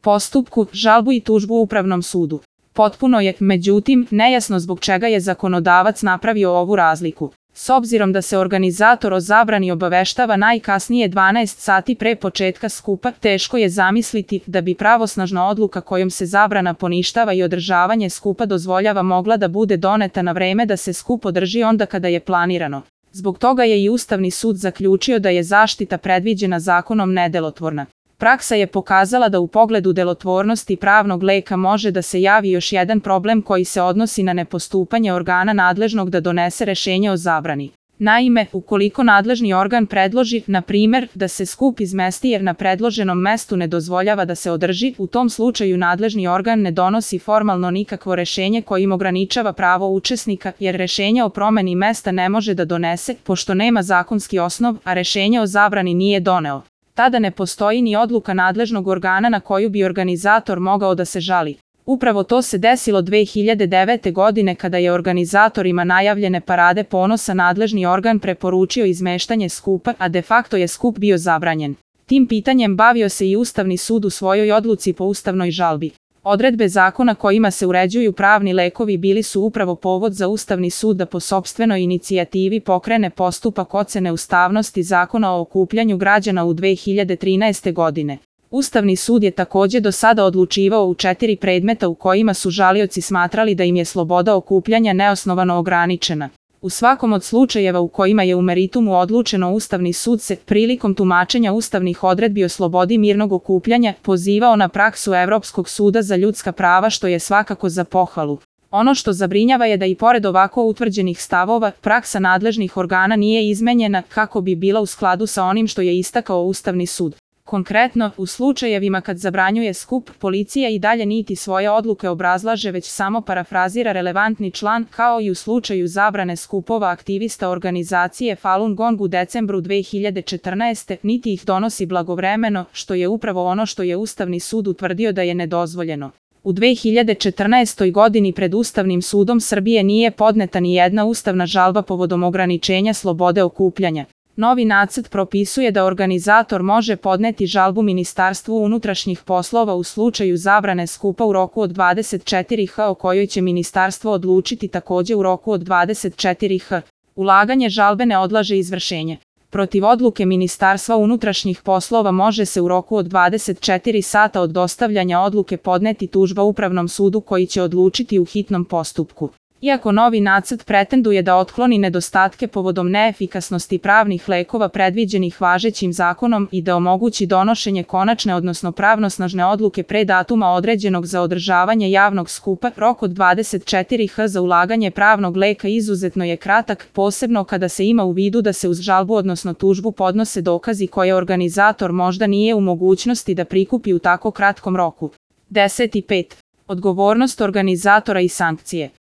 postupku, žalbu i tužbu Upravnom sudu. Potpuno je, međutim, nejasno zbog čega je zakonodavac napravio ovu razliku. S obzirom da se organizator o zabrani obaveštava najkasnije 12 sati pre početka skupa, teško je zamisliti da bi pravosnažna odluka kojom se zabrana poništava i održavanje skupa dozvoljava mogla da bude doneta na vreme da se skup održi onda kada je planirano. Zbog toga je i Ustavni sud zaključio da je zaštita predviđena zakonom nedelotvorna. Praksa je pokazala da u pogledu delotvornosti pravnog leka može da se javi još jedan problem koji se odnosi na nepostupanje organa nadležnog da donese rešenje o zabrani. Naime, ukoliko nadležni organ predloži, na primer, da se skup izmesti jer na predloženom mestu ne dozvoljava da se održi, u tom slučaju nadležni organ ne donosi formalno nikakvo rešenje kojim ograničava pravo učesnika, jer rešenje o promeni mesta ne može da donese, pošto nema zakonski osnov, a rešenje o zabrani nije doneo. Tada ne postoji ni odluka nadležnog organa na koju bi organizator mogao da se žali. Upravo to se desilo 2009. godine kada je organizatorima najavljene Parade ponosa nadležni organ preporučio izmeštanje skupa, a de facto je skup bio zabranjen. Tim pitanjem bavio se i Ustavni sud u svojoj odluci po ustavnoj žalbi. Odredbe zakona kojima se uređuju pravni lekovi bili su upravo povod za Ustavni sud da po sopstvenoj inicijativi pokrene postupak ocene ustavnosti Zakona o okupljanju građana u 2013. godine. Ustavni sud je takođe do sada odlučivao u 4 predmeta u kojima su žalioci smatrali da im je sloboda okupljanja neosnovano ograničena. U svakom od slučajeva u kojima je u meritumu odlučeno Ustavni sud se, prilikom tumačenja ustavnih odredbi o slobodi mirnog okupljanja, pozivao na praksu Evropskog suda za ljudska prava što je svakako za pohvalu. Ono što zabrinjava je da i pored ovako utvrđenih stavova, praksa nadležnih organa nije izmenjena kako bi bila u skladu sa onim što je istakao Ustavni sud. Konkretno, u slučajevima kad zabranjuje skup, policija i dalje niti svoje odluke obrazlaže već samo parafrazira relevantni član, kao i u slučaju zabrane skupova aktivista organizacije Falun Gong u decembru 2014. niti ih donosi blagovremeno, što je upravo ono što je Ustavni sud utvrdio da je nedozvoljeno. U 2014. godini pred Ustavnim sudom Srbije nije podneta ni jedna ustavna žalba povodom ograničenja slobode okupljanja. Novi nacrt propisuje da organizator može podneti žalbu Ministarstvu unutrašnjih poslova u slučaju zabrane skupa u roku od 24h o kojoj će ministarstvo odlučiti takođe u roku od 24h. Ulaganje žalbe ne odlaže izvršenje. Protiv odluke Ministarstva unutrašnjih poslova može se u roku od 24 sata od dostavljanja odluke podneti tužba Upravnom sudu koji će odlučiti u hitnom postupku. Iako novi nacrt pretenduje da otkloni nedostatke povodom neefikasnosti pravnih lekova predviđenih važećim zakonom i da omogući donošenje konačne odnosno pravnosnažne odluke pre datuma određenog za održavanje javnog skupa, rok od 24h za ulaganje pravnog leka izuzetno je kratak, posebno kada se ima u vidu da se uz žalbu odnosno tužbu podnose dokazi koje organizator možda nije u mogućnosti da prikupi u tako kratkom roku. 10.5. Odgovornost organizatora i sankcije.